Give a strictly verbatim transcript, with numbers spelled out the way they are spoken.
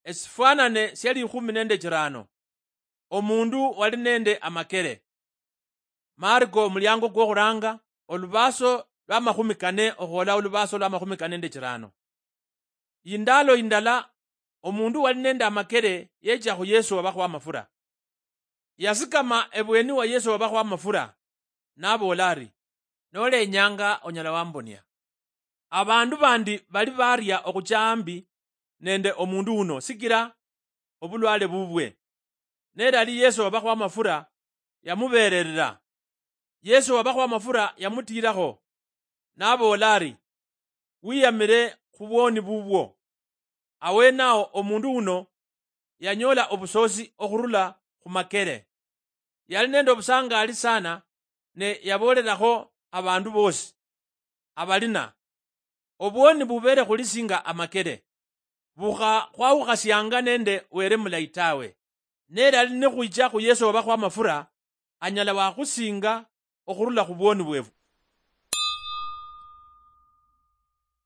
Esifwanane sia likhumi nende chirano. Omundu wali nende amakere. Mariko, omuliango kwokhuranga, olubaaso lwa makhumi kane okhwola olubaaso lwa makhumi kane nende chirano. Yindalo yindala, omundu wali nende amakere yecha khu Yesu wabakho amafura. Yasikama ebweni wa Yesu wabakho amafura, naboola ari, "Nolenyanga, onyala wambonia." Abandu bandi bali baria okhucha ambi nende omundu uno sikira obulwale bubwe. Nelali Yesu wabakho amafura, yamubererera. Yesu wabakho amafura yamutiirakho, naboola ari, "Wiyamire khubwoni bubwo." Awenao omundu uno yanyoola obusoosi okhurula khumakere. Yali nende obusangaali sana, ne yaboolerakho abandu boosi abalina, "Obwoni bubere khuli singa amakere, bukha khwawukhasianga nende Were mulayi tawe. Nelali nikhwicha khu Yesu wabakho amafura, anyala wakhusinga okhurula khubwoni bwefu."